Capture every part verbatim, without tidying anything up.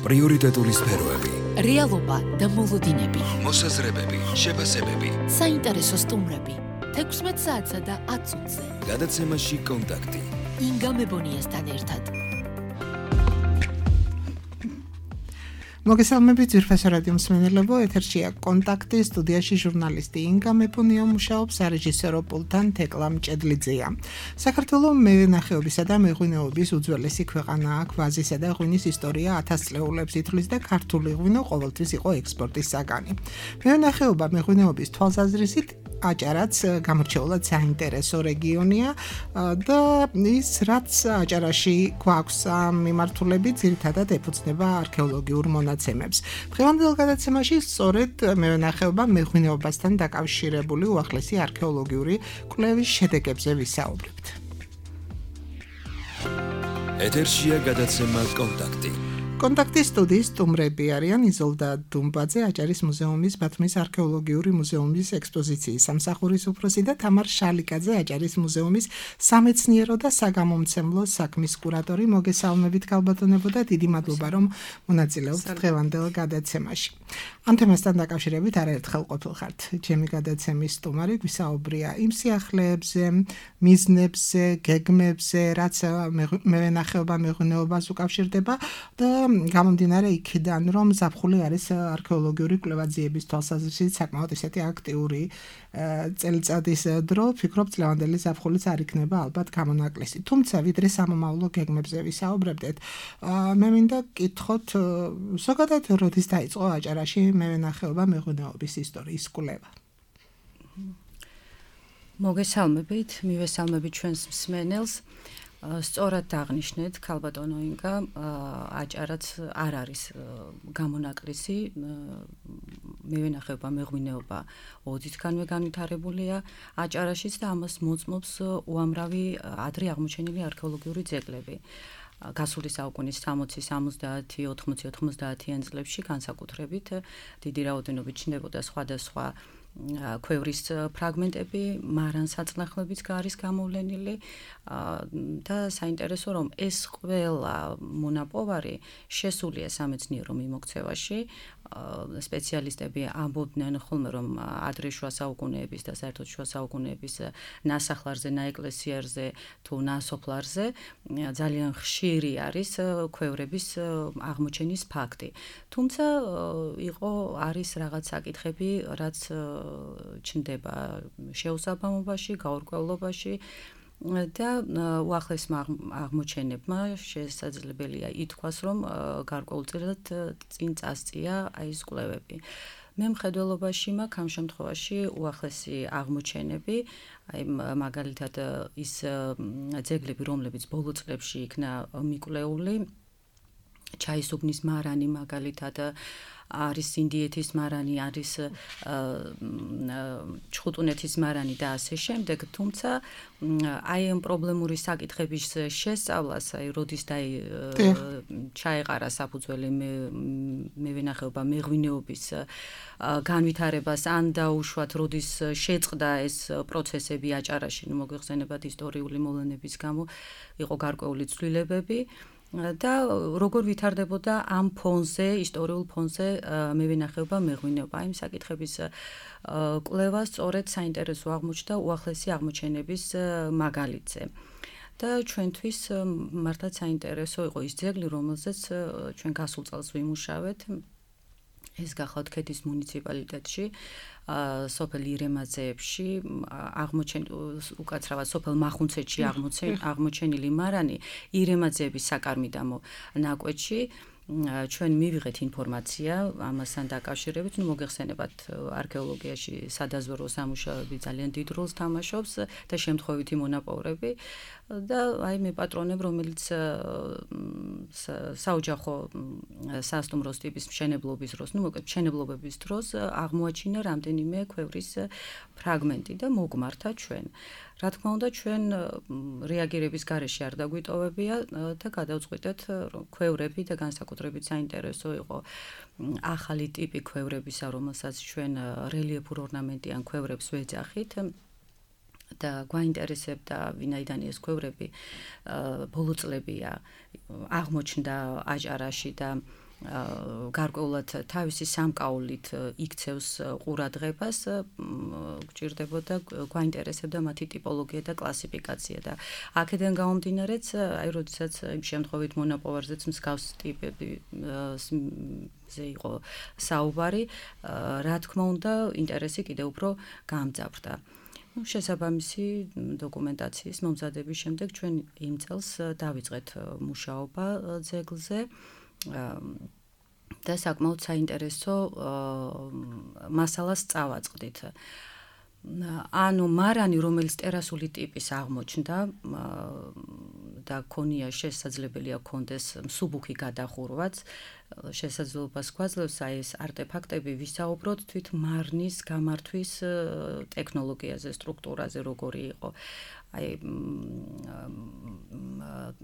პრიორიტეტული სფეროები, რეალობა და მოლოდინები, მოსაზრებები, შეფასებები, საინტერესო სტუმრები, თექვსმეტ საათსა და ათ წუთზე. გადაცემაში კონტაქტი. ინგა მებონიასთან ერთად. მოგესალმებით ძვირფასო რადიო მსმენელებო, ეთერშია კონტაქტი, სტუდიაში ჟურნალისტი ინგა მეფუნია მუშაობს, სარეჟისორო პულტთან თეკლა მჭედლიძეა. საქართველოს მევენახეობისა და მეღვინეობის უძველესი ქვეყანაა, ვაზისა და ღვინის ისტორია ათას წლეულებს ითვლის და ქართული ღვინო ყოველთვის იყო ექსპორტის საგანი. მევენახეობა მეღვინეობის თვალსაზრისით აჭარაც გამორჩეულად საინტერესო რეგიონია და ის რაც აჭარაში გვაქვს მიმართულებით ძირითადად ეფუძნება არქეოლოგიურ მონაცემებს. დღევანდელ გადაცემაში სწორედ მევენახეობა მეღვინეობასთან დაკავშირებული უახლესი არქეოლოგიური კვლევის შედეგებზე ვისაუბრებთ. ეთერშია გადაცემა კონტაქტი. კონტაქტის სტუდიის სტუმრები არიან იზოლდა დუმბაძე, აჭარის მუზეუმის ბათუმის არქეოლოგიური მუზეუმის ექსპოზიციის სამსახურის უფროსი და თამარ შალიკაძე, აჭარის მუზეუმის სამეცნიერო და საგამომცემლო საქმის კურატორი. მოგესალმებით ქალბატონებო და დიდი მადლობა რომ მონაწილეობთ დღევანდელ გადაცემაში. ამ თემასთან დაკავშირებით არაერთხელ ყოფილ ხართ ჩემი გადაცემის სტუმარი, გვისაუბრია იმ სიახლეებზე, მიზნებზე, გეგმებზე, რაც მევენახეობა მეღვინეობას უკავშირდება და გამომდინარე იქიდან, რომ ზაფხული არის არქეოლოგიური კვლევაძიების თვალსაზრისით საკმაოდ ისეთი აქტიური წელიწადის დრო, ვფიქრობ წლევანდელი ზაფხულიც არ იქნება ალბათ გამონაკლისი. თუმცა ვიდრე სამომავლო გეგმებზე ვისაუბრებდეთ, მე მინდა გკითხოთ, ზოგადად როდის დაიწყო აჭარაში მევენახეობა მეღვინეობის ისტორიის კვლევა? მოგესალმებით, მივესალმებით ჩვენს მსმენელს. სწორად აღნიშნეთ ქალბატონო ინგა, აჭარაც არ არის გამონაკლისი, მევენახეობა მეღვინეობა ოდითგანვე განვითარებულია აჭარაშიც და ამას მოწმობს უამრავი ადრე აღმოჩენილი არქეოლოგიური ძეგლები. გასული საუკუნის სამოცი, სამოცდაათი, ოთხმოცი, ოთხმოცდაათიან წლებში განსაკუთრებით დიდი რაოდენობით ჩნდებოდა სხვადასხვა ქვევრის ფრაგმენტები, მარანსაწნახლებიც არის გამოვლენილი და საინტერესო რომ ეს ყველა მონაპოვარი შესულია სამეცნიერო მიმოქცევაში. სპეციალისტები ამბობდნენ ხოლმე რომ ადრე შუა საუკუნეების და საერთოდ შუა საუკუნეების ნასახლარზე, ნაეკლესიარზე თუ ნასოფლარზე ძალიან ხშირი არის ქვევრების აღმოჩენის ფაქტი. თუმცა იყო არის რაღაც საკითხები, რაც ჩნდება შეუსაბამობაში, გაურკვევლობაში და უახლესმა აღმოჩენებმა შესაძლებელია ითქვას, რომ გარკვეულწილად წინ წასწია აი ეს კვლევები. მე მხედველობაში მაქვს ამ შემთხვევაში უახლესი აღმოჩენები, აი მაგალითად ის ძეგლები, რომლებიც ბოლო წლებში იქნა მიკვლეული, ჩაისუბნის მარანი მაგალითად არის ინდიეთის მარანი, არის ჩხუტუნეთის მარანი და ასე შემდეგ, თუმცა აი ამ პრობლემური საკითხების შესწავლას, აი როდის და ჩაეყარა საფუძველი მევენახეობა მეღვინეობის განვითარებას, ან დაუშვათ როდის შეწყდა ეს პროცესები აჭარაში, ნუ მოგვიხსენებათ ისტორიული მოვლენების გამო იყო გარკვეული ცვლილებები. და როგორ ვითარდებოდა ამ ფონზე, ისტორიულ ფონზე მევენახეობა მეღვინეობა, იმ საკითხების კვლევა სწორედ საინტერესო აღმოჩნდა უახლესი აღმოჩენების მაგალითზე. და ჩვენთვის მართლაც საინტერესო იყო ის ძეგლი, რომელზეც ჩვენ გასულ წელს ვიმუშავეთ. ეს გახლავთ ქეთის მუნიციპალიტეტში, სოფელ ირემაძეებში აღმოჩენილი, უკაცრავად სოფელ მახუნცეთში აღმოჩენილი მარანი ირემაძეების საკარმიდამო ნაკვეთში. ჩვენ მივიღეთ ინფორმაცია ამასთან დაკავშირებით, ნუ მოგეხსენებათ არქეოლოგიაში სადაზვერვო სამუშაოები ძალიან დიდ როლს თამაშობს და შემთხვევითი მონაპოვრები და აი მე პატრონებ, რომელიც საოჯახო სასტუმროს ტიპის მშენებლობის დროს, ნუ მოკლედ მშენებლობების დროს აღმოაჩინა რამდენიმე ქვევრის ფრაგმენტი და მოგმართა ჩვენ. რა თქმა უნდა, ჩვენ რეაგირების გარეშე არ დაგვიტოვებია და გადავწყვიტეთ, რომ ქვევრები და განსაკუთრებით საინტერესო იყო ახალი ტიპი ქვევრებისა, რომელსაც ჩვენ რელიეფურ ორნამენტიან ქვევრებს ვეძახით. და გვაინტერესებდა ვინაიდან ეს ქვევრები ბოლო წლებია აღმოჩნდა აჭარაში და გარკვეულად თავისი სამკაულით იქცევს ყურადღებას, გჭირდებოდა გვაინტერესებდა მათი ტიპოლოგია და კლასიფიკაცია და აქედან გამომდინარეც, აი როდესაც იმ შემთხვევით მონაპოვარზეც მსგავს ტიპები ზე იყო საუბარი, რა თქმა უნდა, ინტერესი კიდევ უფრო გამძაფრდა. შესაბამისი დოკუმენტაციის მომზადების შემდეგ ჩვენ იმ წელს დავიწყეთ მუშაობა ძეგლზე და საკმაოდ საინტერესო მასალას წავაწყდით. ანუ მარანი, რომელიც ტერასული ტიპის აღმოჩნდა და ქონია შესაძლებელია ქონდეს მსუბუქი გადახურვაც, შესაძლებლობას გვაძლევს აი ეს არტეფაქტები ვისაუბროთ თვით მარნის გამართვის ტექნოლოგიაზე, სტრუქტურაზე, როგორი იყო. აი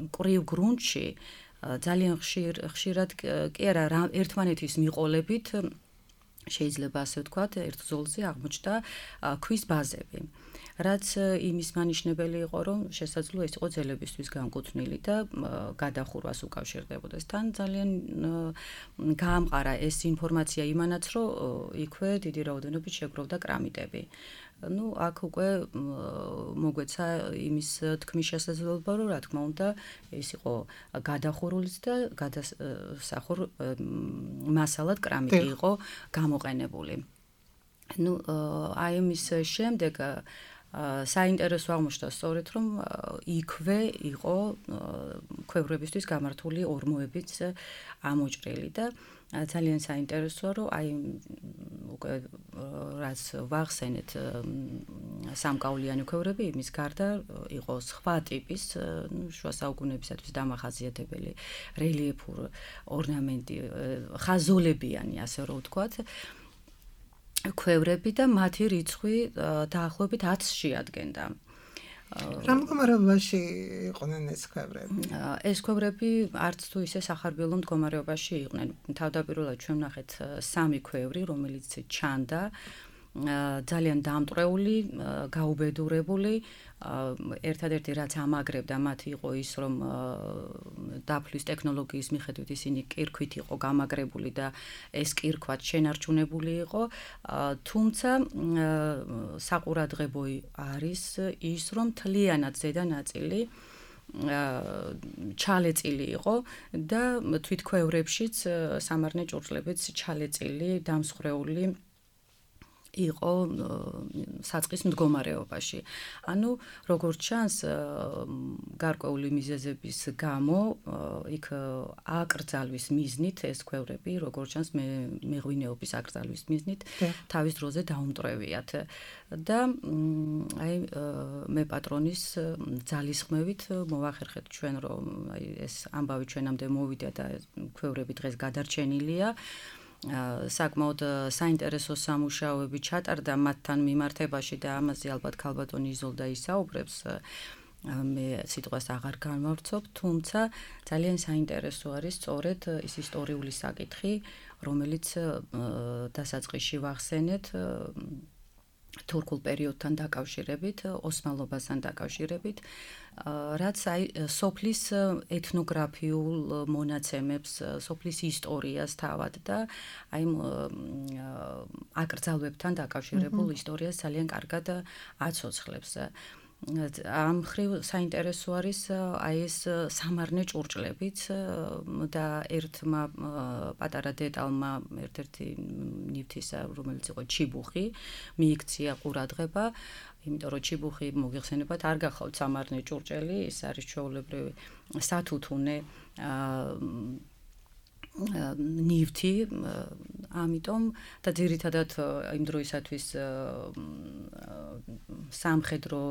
მკვრივ გრუნტში ძალიან ხშირ ხშირად კი არა ერთმანეთის მიყოლებით შეიძლება ასე ვთქვათ, ერთ ზოლზე აღმოჩნდა ქვის ბაზები. რაც იმის მანიშნებელი იყო, რომ შესაძლოა ის იყო ძელებისთვის განკუთვნილი და გადახურვას უკავშირდებოდეს. თან ძალიან გაამყარა ეს ინფორმაცია იმანაც, რომ იქვე დიდი რაოდენობით შეგროვდა კრამიტები. ну, აქ უკვე მოგვეცა იმის თქმის შესაძლებლობა, რომ რა თქმა უნდა, ეს იყო გადახურულიც და გადასახურ მასალად კრამიტი იყო გამოყენებული. ну, აი ამის შემდეგ საინტერესო აღმოჩნდა სწორედ, რომ იქვე იყო ქვევრებისთვის გამართული ორმოებიც ამოჭრილი და ძალიან საინტერესოა, რომ აი უკვე რაც ვახსენეთ სამკაულიანი ქვევრები, იმის გარდა იყო სხვა ტიპის, შუა საუკუნეებისათვის დამახასიათებელი რელიეფურ ორნამენტი, ხაზოლებიანი, ასე რომ ვთქვათ, ქვევრები და მათი რიცხვი დაახლოებით ათს შეადგენდა. რა მდგომარეობაში იყვნენ ეს ქვევრები? ეს ქვევრები არც თუ ისე სახარბიელო მდგომარეობაში იყვნენ. თავდაპირველად ჩვენ ვნახეთ სამი ქვევრი, რომელიც ჩანდა, ძალიან დამტვრეული, გაუბედურებული. ერთადერთი რაც ამაგრებდა მათ იყო ის, რომ დაფლის ტექნოლოგიის მიხედვით ისინი კირქვით იყო გამაგრებული და ეს კირქვაც შენარჩუნებული იყო. თუმცა საყურადღებო არის ის, რომ მთლიანად ზედა ნაწილი ჩალეწილი იყო და თვით ქვევრებშიც სამარნე ჭურჭლებიც ჩალეწილი, დამსხრეული იყო საწყის მდგომარეობაში. ანუ როგორც ჩანს, გარკვეული მიზეზების გამო იქ აკრძალვის მიზნით ეს ქვევრები, როგორც ჩანს, მეღვინეობის აკრძალვის მიზნით თავის დროზე დაუმტვრევიათ. და აი მე პატრონის ძალისხმევით მოვახერხეთ ჩვენ, რომ აი ეს ამბავი ჩვენამდე მოვიდა და ქვევრები დღეს გადარჩენილია. საკმაოდ საინტერესო სამუშაოები ჩატარდა მათთან მიმართებაში და ამაზე ალბათ ქალბატონი იზოლდა ისაუბრებს. მე სიტყვას აღარ განვავრცობ, თუმცა ძალიან საინტერესო არის სწორედ ის ისტორიული საკითხი, რომელიც დასაწყისში ვახსენეთ თურქულ პერიოდთან დაკავშირებით, ოსმალობასთან დაკავშირებით, რაც აი სოფლის ეთნოგრაფიულ მონაცემებს, სოფლის ისტორიას თავად და აი აკრძალვებთან დაკავშირებულ ისტორიას ძალიან კარგად აცოცხლებს. ამ მხრივ საინტერესო არის აი ეს სამარნე ჭურჭლებიც და ერთმა პატარა დეტალმა ერთ-ერთი ნივთისა, რომელიც იყო ჩიბუხი, მიიქცია ყურადღება, იმიტომ რომ ჩიბუხი მოგიხსენებათ არ გახავთ სამარნე ჭურჭელი, ის არის ჩვეულებრივი სათუთუნე ნივთი, ამიტომ და ძირითადად იმ დროისათვის სამხედრო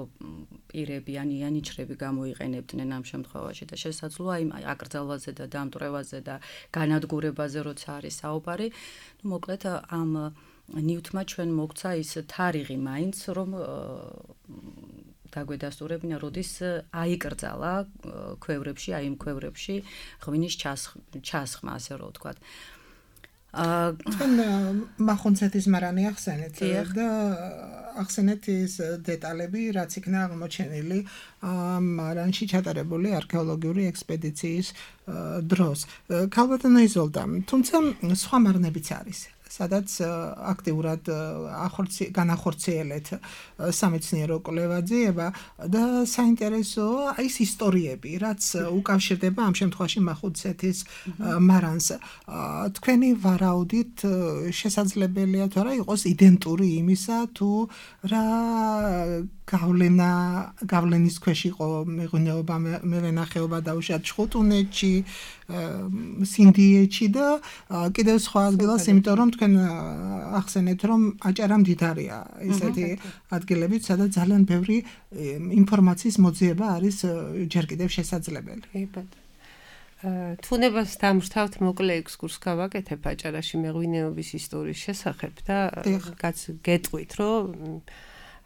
პირები ან იანიჩრები გამოიყენებდნენ ამ შემთხვევაში და შესაძლოა იმ აკრძალვაზე და დამტვრევაზე და განადგურებაზე როცა არის საუბარი, ну მოკლედ ამ ნივთმა ჩვენ მოგცა ის თარიღი მაინც, რომ დაგვედასტურებინა, როდის აიკრძალა ქვევრებში, აი იმ ქვევრებში ღვინის ჩასხმა, ასე რომ ვთქვათ. თქვენ მახუნცეთის მარანი ახსენეთ და ახსენეთ ის დეტალები, რაც იქნა აღმოჩენილი მარანში ჩატარებული არქეოლოგიური ექსპედიციის დროს. ქალბატონო იზოლდა, თუმცა სხვა მარნებიც არის. სადაც აქტიურად განახორციელეთ სამეცნიერო კვლევა-ძიება და საინტერესოა ის ისტორიები, რაც უკავშირდება ამ შემთხვევაში მახუნცეთის მარანს. თქვენი ვარაუდით შესაძლებელია თუ არა იყოს იდენტური იმისა, თუ რა გავლენა გავლენის ქვეშ იყო მეღვინეობა, მევენახეობა დაუშვათ ჩხუტუნეთში, სინდიეთში და კიდევ სხვა ადგილას, იმიტომ რომ თქვენ ახსენეთ, რომ აჭარა მდიდარია ესეთი ადგილებით, სადაც ძალიან ბევრი ინფორმაციის მოძიება არის ჯერ კიდევ შესაძლებელი. თუნებას დამრთავთ მოკლე ექსკურს გავაკეთებ აჭარაში მეღვინეობის ისტორიის შესახებ და გეტყვით, რომ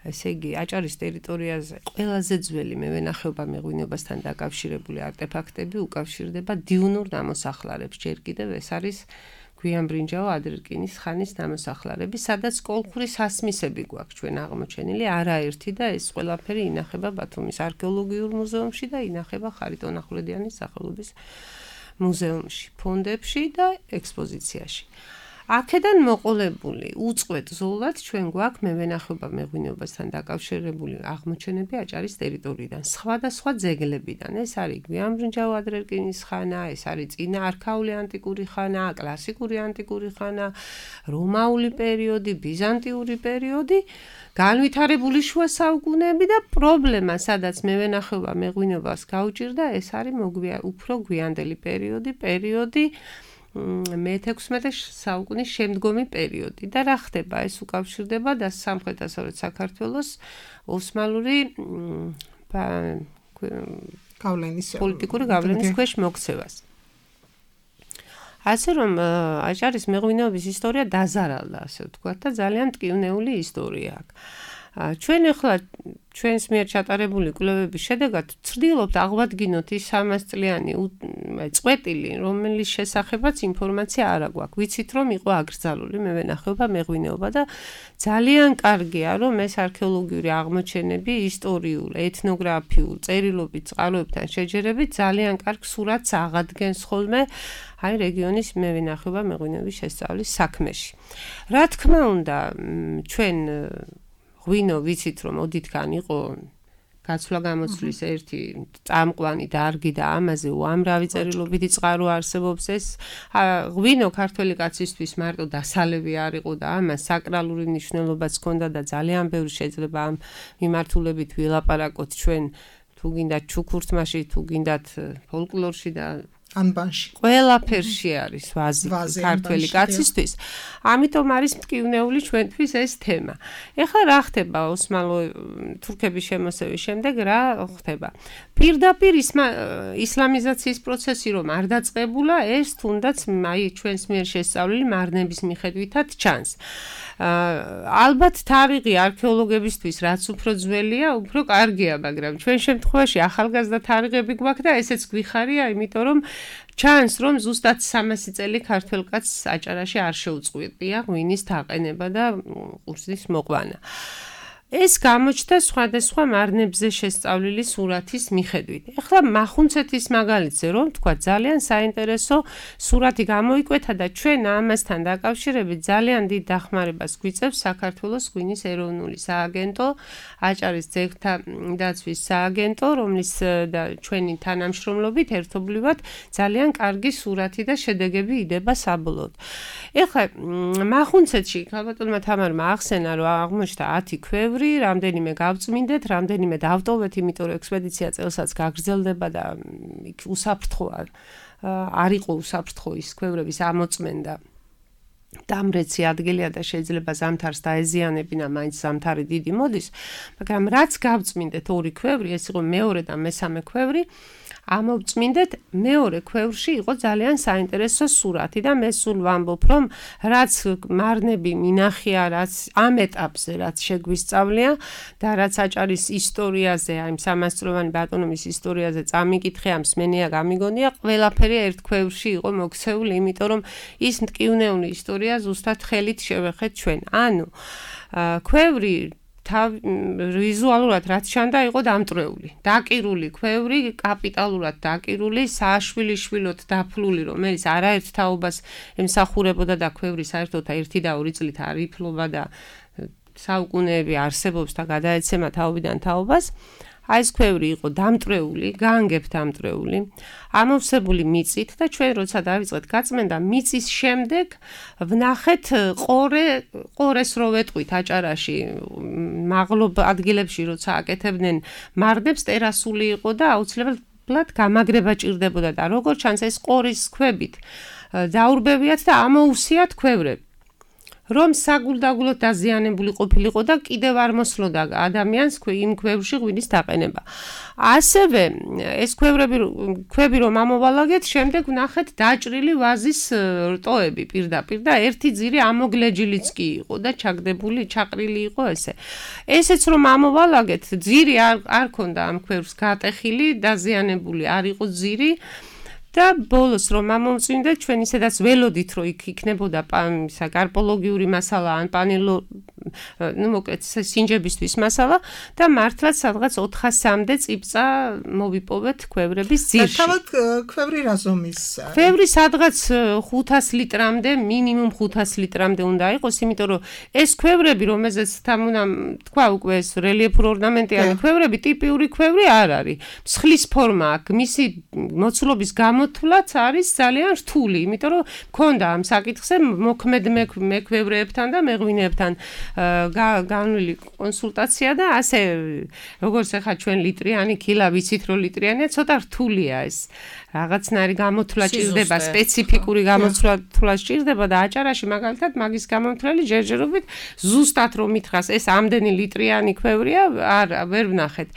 ესე იგი აჭარის ტერიტორიაზე ყველაზე ძველი მევენახეობა მეღვინეობასთან დაკავშირებული არტეფაქტები უკავშირდება დიუნურ ნამოსახლარებს. ჯერ კიდევ ეს არის გვიანბრინჯაო ადრერკინის ხანის ნამოსახლარები, სადაც კოლხური სასმისები გვაქვს ჩვენ აღმოჩენილი, არაერთი და ეს ყველაფერი ინახება ბათუმის არქეოლოგიურ მუზეუმში და ინახება ხარიტონ ახვლედიანის სახელობის მუზეუმში, ფონდებში და ექსპოზიციაში. აქედან მოყოლებული უწყვეტ ზოლად ჩვენ გვაქვს მევენახეობა მეღვინეობასთან დაკავშირებული აღმოჩენები აჭარის ტერიტორიიდან, სხვადასხვა ძეგლებიდან. ეს არის გვიანბრინჯაო ადრერკინის ხანა, ეს არის წინა არქაული ანტიკური ხანა, კლასიკური ანტიკური ხანა, რომაული პერიოდი, ბიზანტიური პერიოდი, განვითარებული შუა საუკუნეები და პრობლემა, სადაც მევენახეობა მეღვინეობას გაუჭირდა, ეს არის უფრო გვიანდელი პერიოდი, პერიოდი მეთექვსმეტე საუკუნის შემდგომი პერიოდი და რა ხდება ეს უკავშირდება და სამხრეთ-დასავლეთ საქართველოს ოსმალური გავლენის პოლიტიკური გავლენის ქვეშ მოქცევას. ასე რომ აჭარის მეღვინეობის ისტორია დაზარალდა, ასე ვთქვათ და ძალიან მტკივნეული ისტორია აქვს. ჩვენ ახლა ჩვენს მიერ ჩატარებული კვლევების შედეგად ვცდილობთ აღვადგინოთ ის სამას წლიანი წყვეტილი, რომლის შესახებაც ინფორმაცია არ აქვს. ვიცით, რომ იყო აკრძალული მევენახეობა, მეღვინეობა და ძალიან კარგია, რომ ეს არქეოლოგიური აღმოჩენები ისტორიულ, ეთნოგრაფიულ, წერილობით წყაროებთან შეჯერებით ძალიან კარგ სურათს აღადგენს ხოლმე აი რეგიონის მევენახეობა, მეღვინეობის შესწავლის საქმეში. რა თქმა უნდა, ჩვენ ღვინო ვიცით, რომ ოდითგან იყო გაცვლა გამოცვლის ერთი წამყვანი დარგი და ამაზე უამრავი წერილობითი წყარო არსებობს. ეს ღვინო ქართველი კაცისთვის მარტო დასალევი არ იყო და ამას საკრალური მნიშვნელობაც ჰქონდა და ძალიან ბევრი შეიძლება ამ მიმართულებით ვილაპარაკოთ ჩვენ თუ გინდათ ჩუქურთმაში, თუ გინდათ ფოლკლორში და ანბანში. ყველაფერში არის ვაზი ქართველი კაცისთვის. ამიტომ არის მტკივნეული ჩვენთვის ეს თემა. ეხლა რა ხდება ოსმალო თურქების შემოსევის შემდეგ რა ხდება? პირდაპირ ისლამიზაციის პროცესი რომ არ დაწყებულა, ეს თუნდაც აი ჩვენს მიერ შესწავლილი მარნების მიხედვითაც ჩანს. ალბათ თარიღი არქეოლოგებისთვის რაც უფრო ძველია, უფრო კარგია, მაგრამ ჩვენ შემთხვევაში ახალგაზრდა თარიღები გვაქვს და ესეც გვიხარია, იმიტომ რომ ჩანს, რომ ზუსტად სამასი წელი ქართველ კაცს აჭარაში არ შეუწყვეტია ღვინის დაყენება და ყურძნის მოყვანა. ეს გამოჩნდა სხვადასხვა მარნებზე შესწავლილი სურათის მიხედვით. ეხლა მახუნცეთის მაგალითზე რომ თქვა ძალიან საინტერესო სურათი გამოიკვეთა და ჩვენ ამასთან დაკავშირებით ძალიან დიდ დახმარებას გვიწევს საქართველოს ღვინის ეროვნული სააგენტო, აჭარის ძეგლთა დაცვის სააგენტო, რომლის და ჩვენი თანამშრომლობით ერთობლივად ძალიან კარგი სურათი და შედეგები იდება საბოლოოდ. ეხლა მახუნცეთში ქალბატონმა თამარმა ახსენა, რომ აღმოჩნდა ათი ქვევრი, რამდენიმე გავწმინდეთ, რამდენიმე დავტოვეთ, იმიტომ რომ ექსპედიცია წელსაც გაგრძელდება და იქ უსაფრთხო არ იყო უსაფრთხო ის ქვევრების ამოწმენდა. დამრეცი ადგილია და შეიძლება ზამთარს დაეზიანებინა, მაინც ზამთარი დიდი მოდის, მაგრამ რაც გავწმინდეთ ორი ქვევრი, ეს იყო მეორე და მესამე ქვევრი, ამოვწმინდეთ, მეორე ქვევრში იყო ძალიან საინტერესო სურათი და მე სულ ვამბობ, რომ რაც მარნები მინახია, რაც ამ ეტაპზე, რაც შეგვისწავლია და რაც აჭარის ისტორიაზე, აი სამასწლოვანი ბატონობის ისტორიაზე წამიკითხე, ამ მსმენია გამიგონია, ყველაფერი ერთ ქვევრში იყო მოქცეული, იმიტომ რომ ის მტკივნეული ისტორია ზუსტად ხელით შევეხეთ ჩვენ. ანუ ქვევრი ვიზუალურად რაც ჩანდა იყო დამტრეული, დაკირული ქვევრი, კაპიტალურად დაკირული, სააშვილიშვილოდ დაფლული, რომელიც არაერთ თაობას ემსახურებოდა და ქვევრი საერთოდ ერთი და ორი წლით არ იფლობა და საუკუნეები არსებობს და გადაეცემა თაობიდან თაობას. აი ეს ქვევრი იყო დამტრეული, გაანგებ დამტრეული, ამოვსებული მიწით და ჩვენ როცა დავიწყეთ გაწმენდა მიწის შემდეგ ვნახეთ ყორე, ყორეს რო ვეტყვით აჭარაში, მაღლობ ადგილებში როცა აკეთებდნენ მარნებს ტერასული იყო და აუცილებლად გამაგრება ჭირდებოდა და როგორც ჩანს ეს ყორის ქვებით დაურბევიათ და ამოუსიათ ქვევრები. რომ საგულდაგულოდ დაზიანებული ყოფილიყო და კიდევ არ მოსლოდა ადამიანს იმ ქვევრში ღვინის დაყენება. ასევე ეს ქვევრები ქვები რომ ამოვალაგეთ, შემდეგ ვნახეთ დაჭრილი ვაზის რტოები პირდაპირ და ერთი ძირი ამოგლეჯილიც კი იყო და ჩაგდებული, ჩაყრილი იყო ესე. ესეც რომ ამოვალაგეთ, ძირი არ არ ქონდა ამ ქვევრს გატეხილი, დაზიანებული არ იყო ძირი. და ბოლოს რომ ამოვწმინდეთ, ჩვენ ისედაც ველოდით, რომ იქ იქნებოდა ისა გარპოლოგიური მასალა ან პანელო, ну, მოკლედ სინჯებისთვის მასალა და მართლაც სადღაც ოთხასამდე წიბწა მოვიპოვეთ ქვევრების ძირში. თავად ქვევრი რა ზომის? ქვევრი სადღაც ხუთას litrამდე, მინიმუმ ხუთას litrამდე უნდა იყოს, იმიტომ რომ ეს ქვევრები, რომელზეც თან უნდა თქვა უკვე ეს რელიეფურ ორნამენტიანი ქვევრები, ტიპიური ქვევრი არ არის. მსხლის ფორმა აქვს, მისი მოცულობის გამო თვლაც არის ძალიან რთული, იმიტომ რომ მქონდა ამ საკითხზე მოქმედ მექვევრეებთან და მეღვინეებთან განვლილი კონსულტაცია და ასე როგორც ახლა ჩვენ ლიტრიანი ქილა ვიცით რომ ლიტრიანია, ცოტა რთულია ეს. რაღაცნაირი გამოთვლა ჭირდება, სპეციფიკური გამოთვლა ჭირდება და აჭარაში მაგალითად მაგის გამოთვლელი ჯერჯერობით ზუსტად რომ მითხას ეს ამდენი ლიტრიანი ქვევრია, არ ვერ ვნახეთ.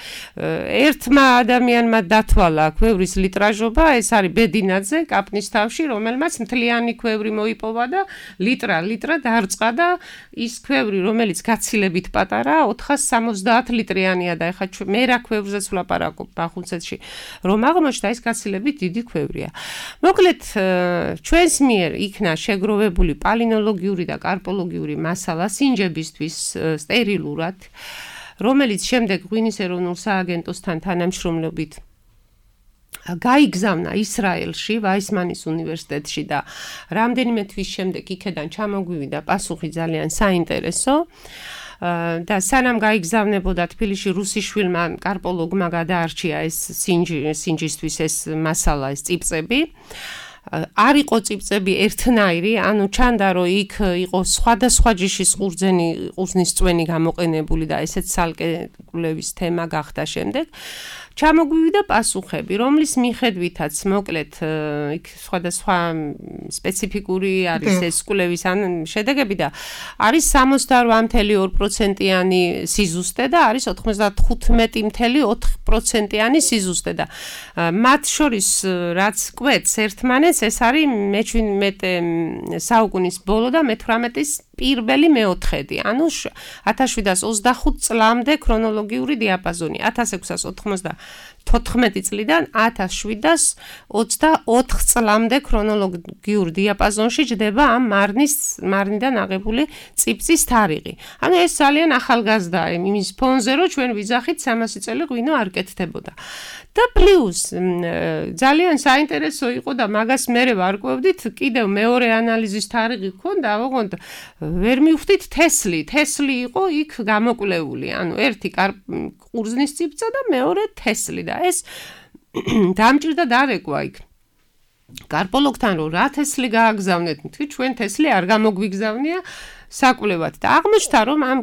ერთმა ადამიანმა დათვალა ქვევრის ლიტრაჟობა, ეს არის ბედინაძე კაპნის თავში, რომელმაც მთლიანი ქვევრი მოიპოვა და ლიტრა ლიტრა დარწყა და ის ქვევრი, რომელიც გაცილებით პატარა, ოთხას სამოცდაათ litrიანია და ეხლა მე რა ქვევრზეც ვლაპარაკობ ბახუნცეთში, რომ აღმოჩნდა ეს გაცილებით დიდი ქვევრია. მოკლედ, ჩვენს მიერ იქნა შეგროვებული პალინოლოგიური და კარპოლოგიური მასალა სინჯებისთვის სტერილურად, რომელიც შემდეგ ღვინის ეროვნულ სააგენტოსთან თანამშრომლობით გაიგზავნა ისრაელში, ვაისმანის უნივერსიტეტში და რამდენიმე თვის შემდეგ იქედან ჩამოგვივიდა პასუხი ძალიან საინტერესო. და სანამ გაიგზავნებოდა თბილისში რუსიშვილმა კარპოლოგმა გადაარჩია ეს სინჯისთვის ეს მასალა, ეს წიბწები. არ იყო წიბწები ერთნაირი, ანუ ჩანდა რომ იქ იყო სხვადასხვა ჯიშის ყურძენი, ყურძნის წვენი გამოყენებული და ესეც ცალკე კვლევის თემა გახდა შემდეგ. ჩამოგვივიდა პასუხები, რომლის მიხედვითაც მოკლედ იქ სხვადასხვა სპეციფიკური არის ეს კვლევის ან შედეგები და არის სამოცდაორ წამლ ორი პროცენტიანი სიზუსტე და არის ოთხმოცდათხუთმეტი წამლ ოთხი პროცენტიანი სიზუსტე და მათ შორის რაც კვეთს ერთმანეთს ეს არის მეჩვიდმეტე საუკუნის ბოლო და მეთვრამეტის პირველი მეოთხედი, ანუ ათას შვიდას ოცდახუთ წლამდე ქრონოლოგიური დიაპაზონი, ათას ექვსას ოთხმოცდათოთხმეტი წლიდან ათას შვიდას ოცდაოთხ წლამდე ქრონოლოგიურ დიაპაზონში ჯდება ამ მარნის მარნიდან აღებული წიბწის თარიღი. ანუ ეს ძალიან ახალგაზრდაა იმის ფონზე, რომ ჩვენ ვიძახით სამასი წელი ღვინო არ კეთდებოდა. და პლუს ძალიან საინტერესო იყო და მაგას მერე ვარკვევდით, კიდევ მეორე ანალიზის თარიღი ჰქონდა, ოღონდ ვერ მივხვდით თესლი, თესლი იყო იქ გამოკვლეული, ანუ ერთი ყურძნის წიბწა და მეორე თესლი და ეს დამჭირდა დარეკვა იქ. კარპოლოგთან რომ რა თესლი გააგზავნეთ, თქვი ჩვენ თესლი არ გამოგვიგზავნია საკვლევად და აღმოჩნდა რომ ამ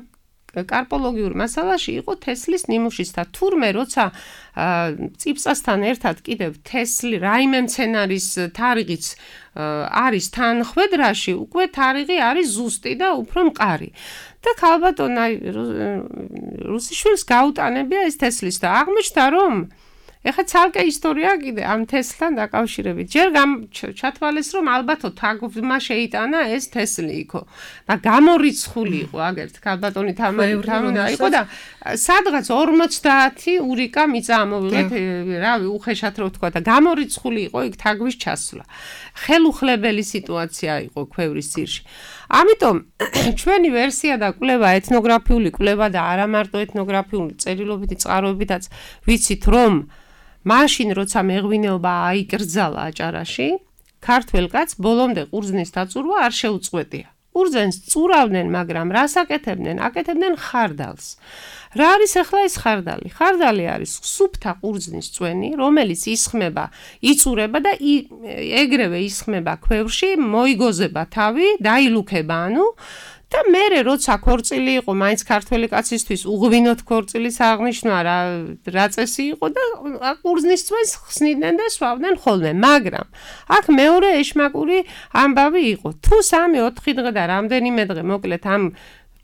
კარპოლოგიურ მასალაში იყო თესლის ნიმუშიც და თურმე როცა წიბწასთან ერთად კიდევ თესლი რაიმე მცენარის თარიღიც არის თანხვედრაში, უკვე თარიღი არის ზუსტი და უფრო მყარი. და ქალბატონ აი რუსიშვილს გაუტანებია ეს თესლის და აღმოჩნდა რომ ეხლა ცალკე ისტორია კიდე ამ თესლთან დაკავშირებით. ჯერ ჩათვალეს რომ ალბათო თაგვმა შეიტანა ეს თესლი იქო და გამორიცხული იყო აგერთ ქალბატონი თამარი იყო და სადღაც ორმოცდაათი ურიკა მიწა ამოვიღეთ, რავი, უხეშად რო ვთქვა და გამორიცხული იყო იქ თაგვის ჩასვლა. ხელუხლებელი სიტუაცია იყო ქვევრის ძირში. ამიტომ ჩვენი ვერსია და კვლევა ეთნოგრაფიული კვლევა და არა მარტო ეთნოგრაფიული წერილობითი წყაროებითაც ვიცით რომ მაშინ როცა მეღვინეობა აიკრძალა აჭარაში, ქართველ კაცს ბოლომდე ყურძნის დაწურვა არ შეუწყვეტია. ყურძენს წურავდნენ, მაგრამ რას აკეთებდნენ? აკეთებდნენ ხარდალს. რა არის ახლა ეს ხარდალი? ხარდალი არის სუფთა ყურძნის წვენი, რომელიც ისხმება, იწურება და ეგრევე ისხმება ქვევრში, მოიგოზება თავი, დაილუქება, ანუ და მერე როცა ქორწილი იყო, მაინც ქართველი კაცისთვის უღვინოთ ქორწილის აღნიშვნა რა რა წესი იყო და ყურძნის წვენს ხსნიდნენ და სვავდნენ ხოლმე, მაგრამ აქ მეორე ეშმაკური ამბავი იყო. თუ სამი ოთხი დღე და რამდენიმე დღე მოკლედ ამ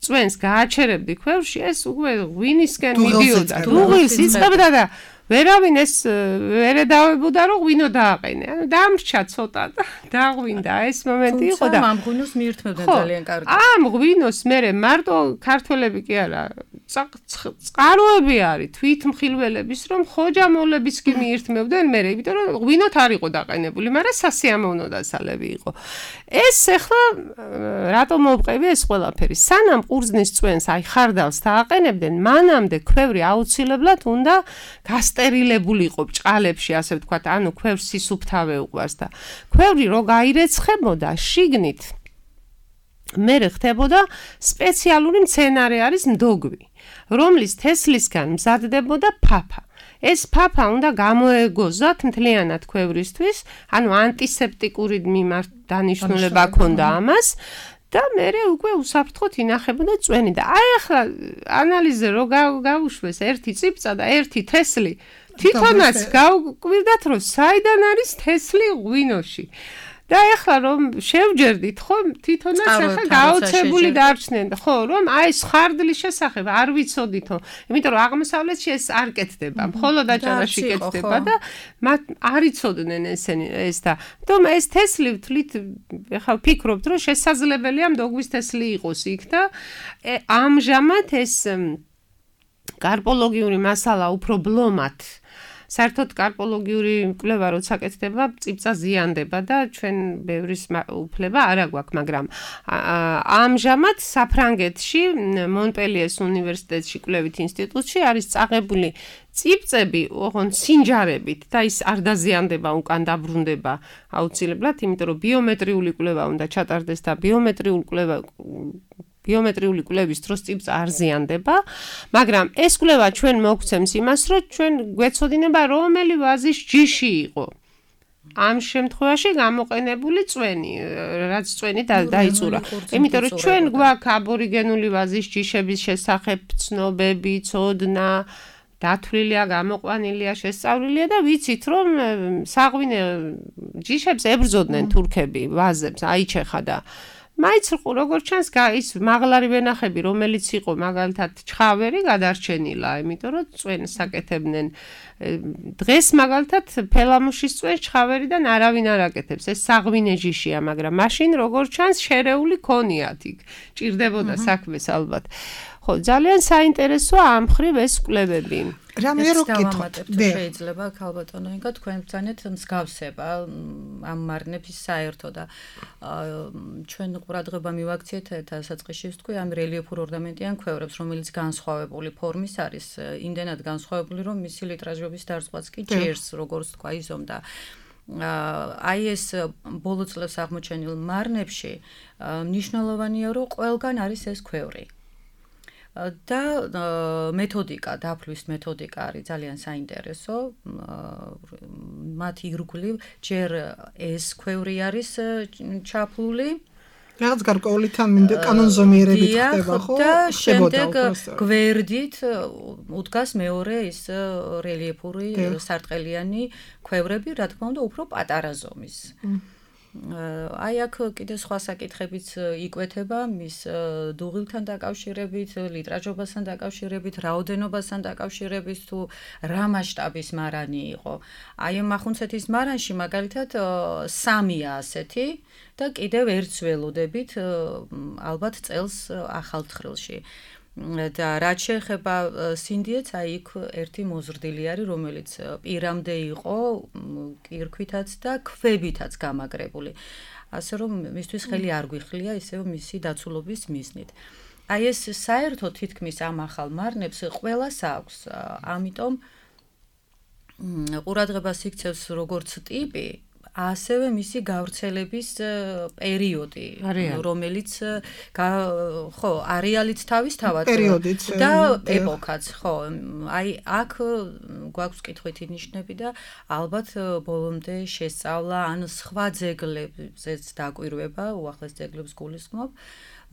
წვენს გააჩერებდი ქვევრში, ეს უკვე ღვინისკენ მიდიოდა, დუღილს იწყებდა და ვერავინ ეს ვერ εδავებოდა რომ ღვინო დააყენე. ანუ დამრჩა ცოტა და დაღვინდა ეს მომენტი იყო და ამ ღვინოს მიირთმევდნენ ძალიან კარგად. ამ ღვინოს მერე მარტო ქართველები კი არა, წყაროები არის თვითმხილველების რომ ხოჯამოვლების კი მიირთმევდნენ მერე, იმიტომ რომ ღვინოთ არ იყო დაყენებული, მაგრამ სასიამოვნო დასალები იყო. ეს ახლა რატომ მოვყევი ეს ყველაფერი? სანამ ყურძნის წვენს აი ხარდალს დააყენებდნენ, მანამდე ქვევრი აუცილებლად უნდა გასტერილებული იყო ბჭყალებში, ასე ვთქვათ, ანუ ქვევს სისუფთავე უყვარს და ქვევრი რო გაირეცხებოდა შიგნით მერე ხდებოდა სპეციალური მცენარე არის მდოგვი, რომლის თესლისგან მზადდებოდა ფაფა. ეს ფაფა უნდა გამოეგოზათ მთლიანად ქვევრისთვის, ანუ ანტისეპტიკური მიმართ დანიშნულება ჰქონდა ამას. და მერე უკვე უსაფრთხოდ ინახებოდა წვენი და აი ახლა ანალიზე რო გავუშვეს ერთი წიბწა და ერთი თესლი, თვითონაც გავკვირდათ რომ საიდან არის თესლი ღვინოში. და ახლა რომ შევჯერდით, ხო, თვითონაც ახლა გაოცებული დარჩნენ, ხო, რომ აი ეს ხარდლის შესახებ არ ვიცოდითო, იმიტომ რომ აღმოსავლეთში ეს არ კეთდება, მხოლოდ აჭარაში კეთდება და მათ არ იცოდნენ ესენი ეს და თუმცა ეს თესლი თვლით ახლა ვფიქრობთ, რომ შესაძლებელია მდოგვის თესლი იყოს იქ და ამჟამად ეს კარპოლოგიური მასალა უფრო ბლომად საერთოდ კარპოლოგიური კვლევა როცა კეთდება, წიბწა ზიანდება და ჩვენ ბევრის უფლება არ აგვაქვს, მაგრამ ამჟამად საფრანგეთში, მონპელიეს უნივერსიტეტში კვლევით ინსტიტუტში არის წაღებული წიბწები, ოღონდ სინჯარებით და ის არ დაზიანდება, უკან დაბრუნდება აუცილებლად, იმიტომ რომ ბიომეტრიული კვლევა უნდა ჩატარდეს და ბიომეტრიული კვლევა ბიომეტრიული კვლევის დროს წიბწა არ ზიანდება, მაგრამ ეს კვლევა ჩვენ მოგცემს იმას, რომ ჩვენ გვეცოდინება რომელი ვაზის ჯიში იყო. ამ შემთხვევაში გამოყენებული წვენი, რაც წვენი დაიწურა. იმიტომ რომ ჩვენ გვაქვს აბორიგენული ვაზის ჯიშების შესახებ ცნობები, ცოდნა, დათვლილია, გამოყვანილია, შესწავლილია და ვიცით, რომ საღვინე ჯიშებს ებრძოდნენ თურქები ვაზებს, აიჩეხა და მაინც როგორც ჩანს ის მაღლარი ვენახები, რომელიც იყო მაგალითად ჩხავერი გადარჩენილა, იმიტომ რომ წვენს აკეთებდნენ. დღეს მაგალითად ფელამუშის წვენს ჩხავერიდან არავინ არ აკეთებს. ეს საღვინე ჯიშია, მაგრამ მაშინ როგორც ჩანს შერეული ქონიათ იქ. ჭირდებოდა საქმეს ალბათ. ხო, ძალიან საინტერესოა ამ მხრივ ეს კვლევები. რამე რო გითხოთ, შეიძლება ქალბატონო ინგა თქვენ ბრძანეთ მსგავსება ამ მარნების საერთო და ჩვენ ყურადღება მივაქციეთ დასაწყისში ვთქვი ამ რელიეფურ ორნამენტიან ქვევრებს, რომელიც განსხვავებული ფორმის არის, იმდენად განსხვავებული, რომ მისი ლიტრაჟობის დარწმუნდაც კი ჭირს, როგორც თქვა იზომ და აი ეს ბოლო წლებს აღმოჩენილ მარნებში მნიშვნელოვანია, რომ ყველგან არის ეს ქვევრი. და მეთოდიკა, დაფლვის მეთოდიკა არის ძალიან საინტერესო. მათი ირგვლივ ჯერ ეს ქვევრი არის ჩაფლული. რაღაც გარკვეული კანონზომიერებით ხდება, ხო? და შემდეგ გვერდით უდგას მეორე ის რელიეფური სარტყელიანი ქვევრები, რა თქმა უნდა, უფრო პატარა ზომის. აი აქ კიდე სხვა საკითხებიც იკვეთება მის დუღილთან დაკავშირებით, ლიტრაჟობასთან დაკავშირებით, რაოდენობასთან დაკავშირებით თუ რა მასშტაბის მარანი იყო. აი ამ ახუნცეთის მარანში მაგალითად სამია ასეთი და კიდევ ერთს ველოდებით ალბათ წელს ახალთხრილში. და რაც შეეხება სინდიეთს, აი იქ ერთი მოზრდილი არის, რომელიც პირამდე იყო კირქვითაც და ქვებითაც გამაგრებული. ასე რომ მისთვის ხელი არ გვიხლია ისევ მისი დაცულობის მიზნით. აი ეს საერთოდ თითქმის ამ ახალ მარნებს ყველას აქვს. ამიტომ ყურადღებას იქცევს როგორც ტიპი, ასევე მისი გავრცელების პერიოდი, რომელიც ხო, არეალით თავისთავად და ეპოქაც, ხო. აი აქ გვაქვს კითხვითი ნიშნები და ალბათ ბოლომდე შესწავლა ან სხვა ძეგლებზეც დაკვირვება, უახლეს ძეგლებს გულისხმობ.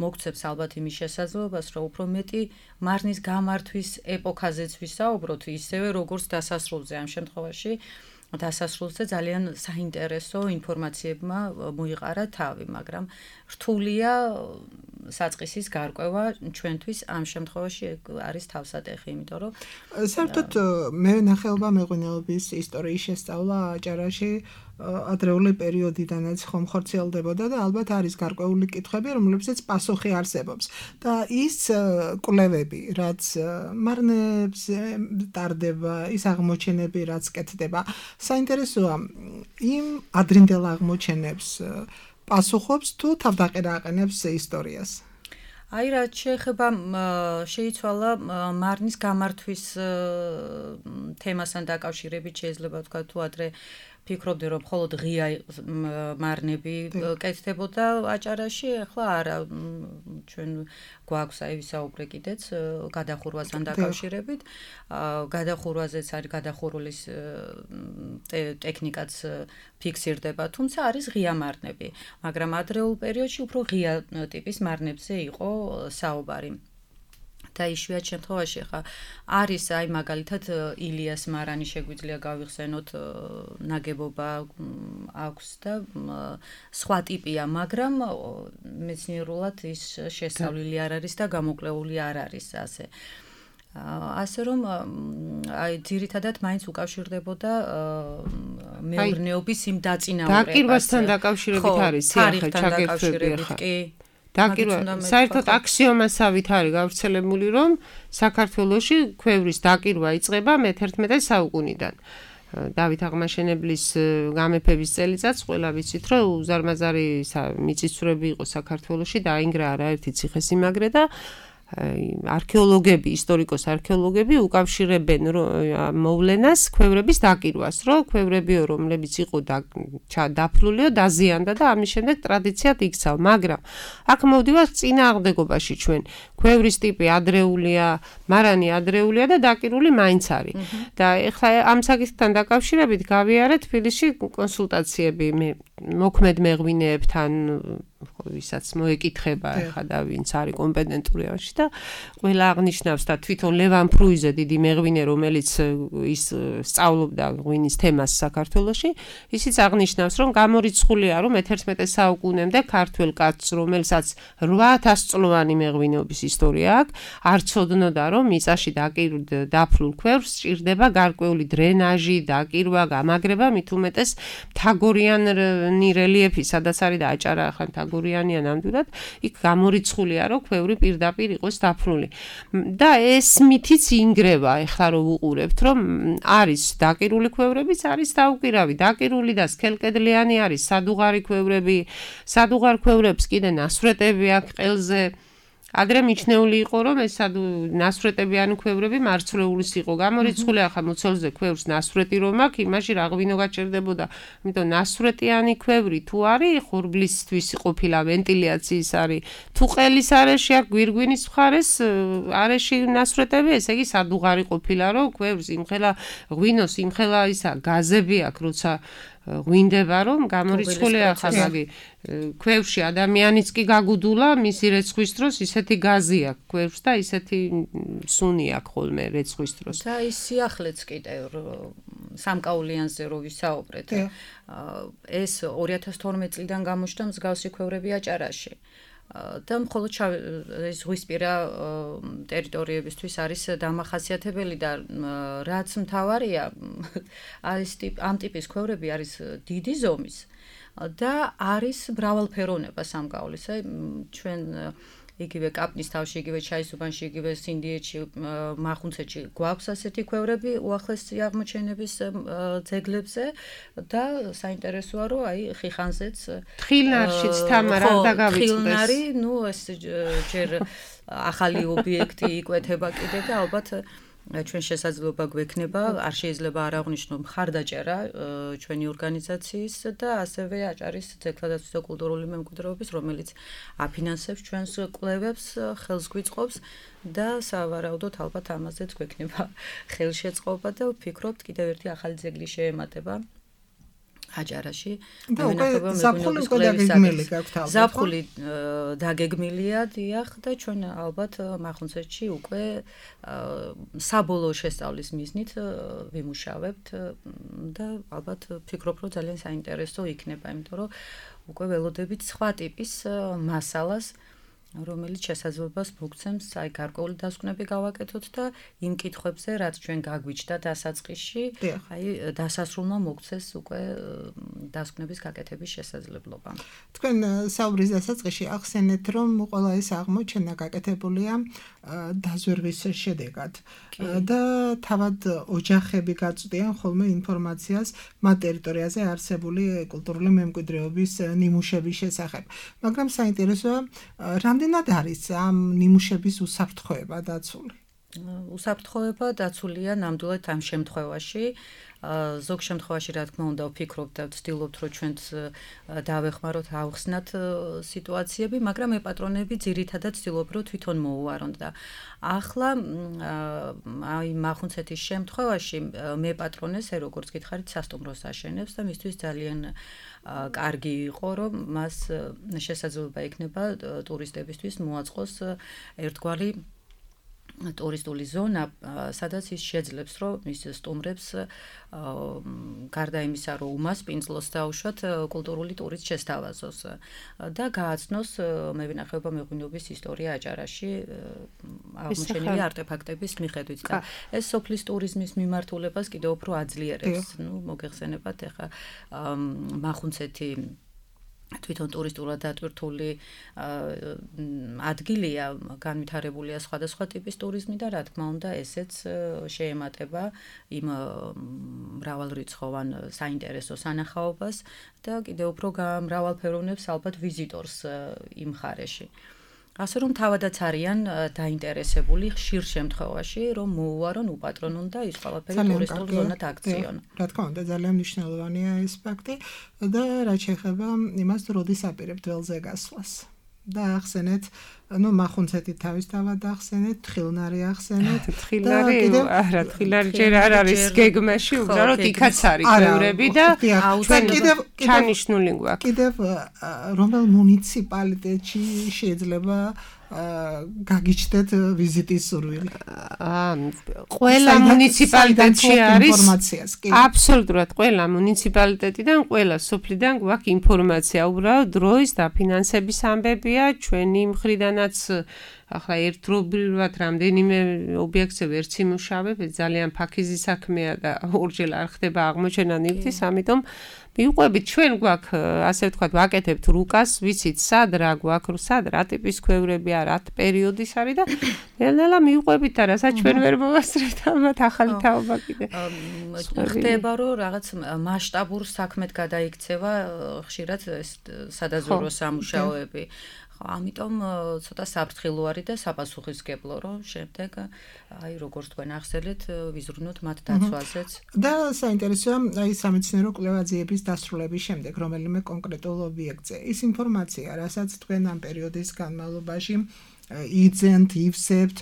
მოგცემს ალბათ იმის შესაძლებლობას, რომ უფრო მეტი მარნის გამართვის ეპოქაზეც ვისაუბროთ, ისევე როგორც დასასრულზე ამ შემთხვევაში. დასასრულზე ძალიან საინტერესო ინფორმაციებმა მოიყარა თავი, მაგრამ რთულია საწყისის გარკვევა ჩვენთვის ამ შემთხვევაში არის თავსატეხი, იმიტომ რომ საერთოდ მე ნახეობა მეღვინეობის ისტორიის შესწავლა აჭარაში ადრეული პერიოდიდანაც ხომ ხორციელდებოდა და ალბათ არის გარკვეული კითხვები, რომლებსაც პასუხი არსებობს. და ის კვლევები, რაც მარნებს ტარდება, ის აღმოჩენები, რაც კეთდება, საინტერესოა იმ ადრინდელ აღმოჩენებს პასუხობს თუ თავდაყირა აყენებს ისტორიას. აი რაც შეეხება შეიცვალა მარნის გამართვის თემასთან დაკავშირებით შეიძლება თქვა თუ ადრე ფიქრობდი რომ მხოლოდ ღია მარნები კეთდებოდა აჭარაში, ახლა არა, ჩვენ გვაქვს აი ვისაუბრე კიდეც გადახურვასთან დაკავშირებით. გადახურვაზეც არის გადახურულის ტექნიკაც ფიქსირდება, თუმცა არის ღია მარნები, მაგრამ ადრეულ პერიოდში უფრო ღია ტიპის მარნებზე იყო საუბარი. და იშვიათ შემთხვევაში ხა არის აი მაგალითად ილიას მარანი შეგვიძლია გავიხსენოთ ნაგებობა აქვს და სხვა ტიპია, მაგრამ მეცნიერულად ის შესწავლილი არ არის და გამოკვლეული არ არის ასე. ასე რომ აი ძირითადად მაინც უკავშირდებოდა მეურნეობის იმ დაწინაურებას. დაკირვასთან დაკავშირებით არის ახლა ჩაგერთვები კი. დაკირვა საერთოდ აქსიომასავით არის გავრცელებული, რომ საქართველოში ქვევრის დაკირვა იწყება მეთერთმეტე საუკუნიდან. დავით აღმაშენებლის გამეფების წელიწადს ყველა ვიცით, რომ უზარმაზარი მიწისძვრები იყო საქართველოში, დაინგრა არაერთი ციხესიმაგრე და არქეოლოგები, ისტორიკოს არქეოლოგები უკავშირებენ მოვლენას ქვევრების დაკირვას, რომ ქვევრებიო, რომლებიც იყო დაფლულიო, დაზიანდა და ამის შემდეგ ტრადიციად იქცა, მაგრამ აქ მოვდივართ წინააღმდეგობაში ჩვენ. ქვევრის ტიპი ადრეულია, მარანი ადრეულია და დაკირული მაინც არის. და ეხლა ამ საკითხთან დაკავშირებით გავიარეთ თბილისში კონსულტაციები მე მოქმედ მეღვინეებთან, ვისაც მოეკითხება ახლა და ვინც არის კომპეტენტური ამაში და ყველა აღნიშნავს და თვითონ ლევან ფრუიზე დიდი მეღვინე, რომელიც ის სწავლობდა ღვინის თემას საქართველოში, ისიც აღნიშნავს, რომ გამორიცხულია, რომ მეთერთმეტე საუკუნემდე ქართველ კაცს, რომელსაც რვა ათას წლოვანი მეღვინეობის ისტორია აქვს, არ ცოდნოდა, რომ მიწაში დაფლულ ქვევრს სჭირდება გარკვეული დრენაჟი, დაკირვა, გამაგრება, მით უმეტეს მთაგორიანი რელიეფი, სადაც არის და აჭარა ახლა მთაგორიანია ნამდვილად, იქ გამორიცხულია, რომ ქვევრი პირდაპირ იყოს დაფლული. და ეს მითიც ინგრევა, ეხლა რომ უყურებთ, რომ არის დაკირული ქვევრებიც, არის დაუკირავი, დაკირული და სქელკედლიანი არის სადუღარი ქვევრები, სადუღარ ქვევრებს კიდე ნასვრეტები აქვს ყელზე. ადრე მიჩნეული იყო, რომ ეს ნასვრეტებიანი ქვევრები მარცვლეულის იყო. გამორიცხული ახლა მუცელზე ქვევრს ნასვრეტი რომ აქვს, იმაში რა ღვინო გაჩერდებოდა. იმიტომ ნასვრეტიანი ქვევრი თუ არის, ხორბლისთვის ყოფილა ვენტილიაციის არის. თუ ყელის არეში აქვს გვირგვინის მხარეს არეში ნასვრეტები, ესე იგი სადუღარი ყოფილა, რომ ქვევრს იმხელა ღვინოს, იმხელა ისა გაზები აქვს, როცა ღვინდება, რომ გამორიცხულია ახლა მაგი ქვევში ადამიანიც კი გაგუდულა მისი რეცხვის დროს ისეთი გაზი აქვს ქვევს და ისეთი სუნი აქვს ხოლმე რეცხვის დროს. და ის სიახლეც კიდე სამკაულიანზე რო ვისაუბრეთ, ეს ორი ათას თორმეტი წლიდან გამოჩნდა მსგავსი ქვევრები აჭარაში. და მხოლოდ ეს ზღვისპირა ტერიტორიებისთვის არის დამახასიათებელი და რაც მთავარია, არის ამ ტიპის ქვევრები არის დიდი ზომის და არის მრავალფეროვნება სამკაულისა. ჩვენ იგივე კაპნის თავში, იგივე ჩაისუბანში, იგივე სინდიეთში, მახუნცეთში გვაქვს ასეთი ქვევრები უახლესი აღმოჩენების ძეგლებზე და საინტერესოა, რომ აი ხიხანზეც თხილნარშიც თამარ არ დაგავიწყდეს. თხილნარი, ნუ ეს ჯერ ახალი ობიექტი იკვეთება კიდე და ალბათ ჩვენ შესაძლებლობა გვექნება, არ შეიძლება არ აღვნიშნო მხარდაჭერა ჩვენი ორგანიზაციის და ასევე აჭარის ძეგლადაცვის და კულტურული მემკვიდრეობის, რომელიც აფინანსებს ჩვენს კვლევებს, ხელს გვიწყობს და სავარაუდოდ ალბათ ამაზეც გვექნება ხელშეწყობა და ვფიქრობთ კიდევ ერთი ახალი ძეგლი შეემატება აჭარაში. და უკვე ზაფხული უკვე დაგეგმილი გაქვთ ალბათ. ზაფხული დაგეგმილია, დიახ, და ჩვენ ალბათ მახუნცეთში უკვე საბოლოო შესწავლის მიზნით ვიმუშავებთ და ალბათ ვფიქრობ, რომ ძალიან საინტერესო იქნება, იმიტომ რომ უკვე ველოდებით სხვა ტიპის მასალას, რომელიც შესაძლებლობას მოგცემს აი გარკვეული დასკვნები გავაკეთოთ და იმ კითხვებზე, რაც ჩვენ გაგვიჩნდა დასაწყისში, აი დასასრულმა მოგცეს უკვე დასკვნების გაკეთების შესაძლებლობა. თქვენ საუბრის დასაწყისში ახსენეთ, რომ ყველა ეს აღმოჩენა გაკეთებულია დაზვერვის შედეგად და თავად ოჯახები გაწვდიან ხოლმე ინფორმაციას მათ ტერიტორიაზე არსებული კულტურული მემკვიდრეობის ნიმუშების შესახებ. მაგრამ საინტერესოა, რამდენად არის ამ ნიმუშების უსაფრთხოება დაცული? უსაფრთხოება დაცულია ნამდვილად ამ შემთხვევაში. ზოგ შემთხვევაში, რა თქმა უნდა, ვფიქრობთ და ვცდილობთ, რომ ჩვენც დავეხმაროთ, ავხსნათ სიტუაციები, მაგრამ მე პატრონები ძირითადად ვცდილობ, რომ თვითონ მოუვარონ და ახლა აი მახუნცეთის შემთხვევაში მე პატრონეს, როგორც გითხარით, სასტუმროს აშენებს და მისთვის ძალიან კარგი იყო, რომ მას შესაძლებლობა ექნება ტურისტებისთვის მოაწყოს ერთგვარი ტურისტული ზონა, სადაც ის შეძლებს, რომ მის სტუმრებს გარდა იმისა, რომ უმასპინძლოს დაუშვათ კულტურული ტურით შესთავაზოს და გააცნოს მევინახეობა მეღვინეობის ისტორია აჭარაში აღმოჩენილი არტეფაქტების მიხედვით. და ეს სოფლის ტურიზმის მიმართულებას კიდევ უფრო აძლიერებს. ნუ მოგეხსენებათ ახლა მახუნცეთი თვითონ ტურისტულად დატვირთული ადგილია, განვითარებულია სხვადასხვა ტიპის ტურიზმი და რა თქმა უნდა ესეც შეემატება იმ მრავალრიცხოვან საინტერესო სანახაობას და კიდევ უფრო მრავალფეროვნებს ალბათ ვიზიტორს იმ მხარეში. ასე რომ თავადაც არიან დაინტერესებული ხშირ შემთხვევაში, რომ მოუვარონ, უპატრონონ და ის ყველაფერი ტურისტულ ზონად აქციონ. რა თქმა უნდა, ძალიან მნიშვნელოვანია ეს ფაქტი და რაც შეეხება იმას, როდის აპირებთ ველზე გასვლას. და ახსენეთ, ну მახუნცეთი თავისთავად ახსენეთ, თხილნარი ახსენეთ. თხილნარი, არა, თხილნარი ჯერ არ არის გეგმაში, უბრალოდ იქაც არის ქვევრები და ჩვენ კიდევ ჩანიშნული გვაქვს. კიდევ რომელ მუნიციპალიტეტში შეიძლება გაგიჩნდეთ ვიზიტის სურვილი? ყველა მუნიციპალიტეტში არის ინფორმაციას, კი. აბსოლუტურად ყველა მუნიციპალიტეტიდან, ყველა სოფლიდან გვაქვს ინფორმაცია, უბრალოდ დროის დაფინანსების ამბებია, ჩვენი მხრიდანაც ახლა ერთდროულად რამდენიმე ობიექტზე ვერც იმუშავებ, ძალიან ფაქიზი საქმეა და ორჯერ არ ხდება აღმოჩენა ნივთის, ამიტომ მივყვებით ჩვენ გვაქვს, ასე ვთქვათ, ვაკეთებთ რუკას, ვიცით სად რა გვაქვს, სად რა ტიპის ქვევრებია, რა პერიოდის არის და ნელ-ნელა მივყვებით და რასაც ჩვენ ვერ მოვასწრებთ, ალბათ ახალი თაობა კიდე. ხდება, რომ რაღაც მასშტაბურ საქმედ გადაიქცევა ხშირად ეს სადაზვერვო სამუშაოები. ამიტომ ცოტა საფრთხილო არის და საპასუხისმგებლო, რომ შემდეგ აი როგორც თქვენ ახსენეთ, ვიზრუნოთ მათ დაცვაზეც. და საინტერესოა, აი სამეცნიერო კვლევაძიების დასრულების შემდეგ, რომელიმე კონკრეტულ ობიექტზე, ის ინფორმაცია, რასაც თქვენ ამ პერიოდის განმავლობაში იძენთ, ივსებთ,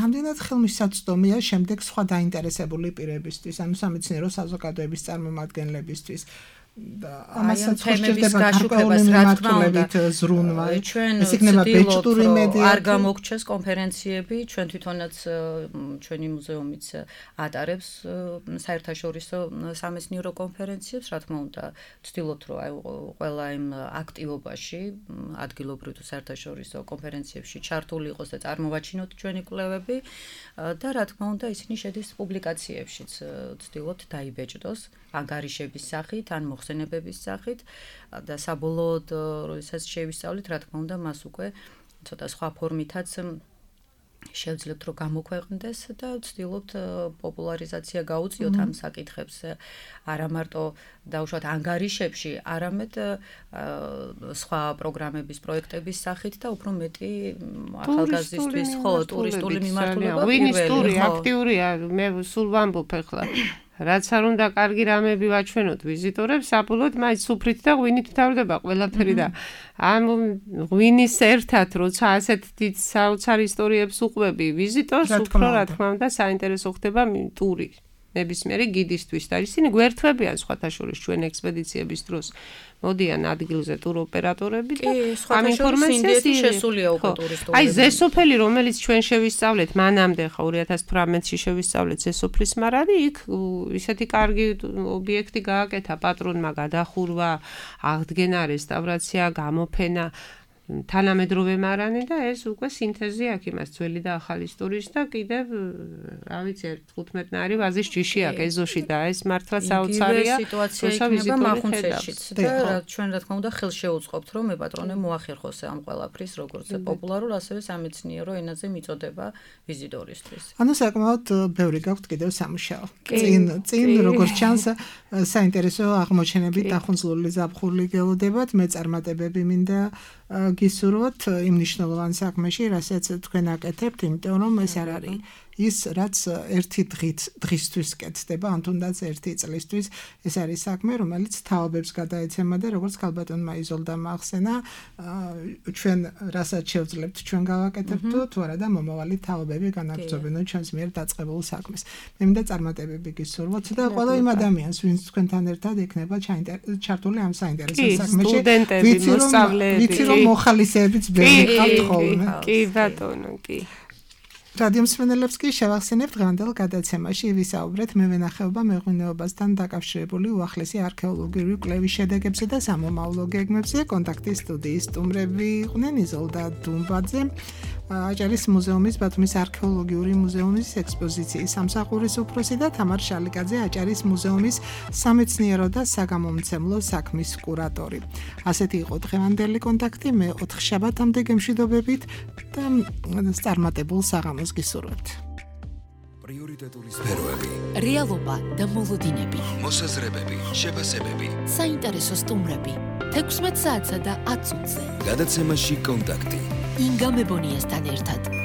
რამდენად ხელმისაწვდომია შემდეგ სხვა დაინტერესებული პირებისთვის, ანუ სამეცნიერო საზოგადოების წარმომადგენლებისთვის. ამასაც ხერხდება გარკვეული მიმართულებით ზრუნვა. ეს იქნება ბეჭდური მედია. არ გამოგჩეს კონფერენციები, ჩვენ თვითონაც ჩვენი მუზეუმიც ატარებს საერთაშორისო სამეცნიერო კონფერენციებს, რა თქმა უნდა, ვცდილობთ რომ აი ყველა იმ აქტივობაში, ადგილობრივ თუ საერთაშორისო კონფერენციებში ჩართული იყოს და წარმოვაჩინოთ ჩვენი კვლევები და რა თქმა უნდა, ისინი შედის პუბლიკაციებშიც, ვცდილობთ დაიბეჭდოს ანგარიშების სახით, ან მოხსენებების სახით და საბოლოოდ, როდესაც შევისწავლით, რა თქმა უნდა, მას უკვე ცოტა სხვა ფორმითაც შევძლებთ, რომ გამოქვეყნდეს და ვცდილობთ პოპულარიზაცია გაუწიოთ ამ საკითხებს, არა მარტო დაუშვათ ანგარიშებში, არამედ სხვა პროგრამების, პროექტების სახით და უფრო მეტი ახალგაზრდისთვის, ხო, ტურისტული მიმართულება. ვინის ტური აქტიურია, მე სულ ვამბობ ახლა. რაც არ უნდა კარგი რამები ვაჩვენოთ ვიზიტორებს, საბოლოოდ მაინც სუფრით და ღვინით თავდება ყველაფერი და ამ ღვინის ერთად, როცა ასეთ დიდ საოცარ ისტორიებს უყვები ვიზიტორს, უფრო რა თქმა უნდა საინტერესო ხდება ტური. ნებისმიერი გიდისთვის და ისინი გვერდთვებიან სხვათა შორის ჩვენ ექსპედიციების დროს. მოდიან ადგილზე ტურ ოპერატორები და ამ ინფორმაციას შესულია უკვე ტურისტული. აი ზესოფელი, რომელიც ჩვენ შევისწავლეთ მანამდე ხა ორი ათას თვრამეტში შევისწავლეთ ზესოფლის მარადი, იქ ისეთი კარგი ობიექტი გააკეთა პატრონმა გადახურვა, აღდგენა, რესტავრაცია, გამოფენა თანამედროვე მარანი და ეს უკვე სინთეზი აქვს იმას ძველი და ახალი ისტორიის და კიდევ რა ვიცი თხუთმეტნაირი ვაზის ჯიში აქვს ეზოში და ეს მართლა საოცარია სიტუაცია იქნება მახუნცეთშიც და ჩვენ რა თქმა უნდა ხელს შევუწყობთ რომ მეპატრონე მოახერხოს ამ ყველაფრის როგორც პოპულარულ ასევე სამეცნიერო ენაზე მიწოდება ვიზიტორისთვის. ანუ საკმაოდ ბევრი გაქვთ კიდევ სამუშაო. წინ წინ როგორც ჩანს საინტერესო აღმოჩენები დახუნძლული ზაფხული გელოდებათ, მეწარმატებები მინდა გისურვოთ იმ მნიშვნელოვან საქმეში, რასაც თქვენ აკეთებთ, იმიტომ რომ ეს არ არის ის რაც ერთი დღით დღისთვის კეთდება, ან თუნდაც ერთი წლისთვის, ეს არის საქმე, რომელიც თაობებს გადაეცემა და როგორც ქალბატონმა იზოლდამ ახსენა, ჩვენ რასაც შევძლებთ, ჩვენ გავაკეთებთ თუ არა და მომავალი თაობები განაგრძობენ ჩვენს მიერ დაწყებულ საქმეს. მე მინდა წარმატებები გისურვოთ და ყველა იმ ადამიანს, ვინც თქვენთან ერთად იქნება ჩართული ამ საინტერესო საქმეში, ვიცი რომ მოხალისეებიც ბევრი ყავთ ხოლმე. კი ბატონო, კი. რადიო მსმენელებს კი შევახსენებთ დღევანდელ გადაცემაში ვისაუბრეთ მევენახეობა მეღვინეობასთან დაკავშირებული უახლესი არქეოლოგიური კვლევის შედეგებზე და სამომავლო გეგმებზე. კონტაქტის სტუდიის სტუმრები იყვნენ იზოლდა დუმბაძე, აჭარის მუზეუმის ბათუმის არქეოლოგიური მუზეუმის ექსპოზიციის სამსახურის უფროსი და თამარ შალიკაძე, აჭარის მუზეუმის სამეცნიერო და საგამომცემლო საქმის კურატორი. ასეთი იყო დღევანდელი კონტაქტი, მე ოთხშაბათამდე გემშვიდობებით და წარმატებულ საღამოს გისურვებთ. პრიორიტეტული სფეროები, რეალობა და მოლოდინები, მოსაზრებები, შეფასებები, საინტერესო სტუმრები, თექვსმეტ საათსა და ათ წუთზე. გადაცემაში კონტაქტი. ინგა მებონიასთან ერთად.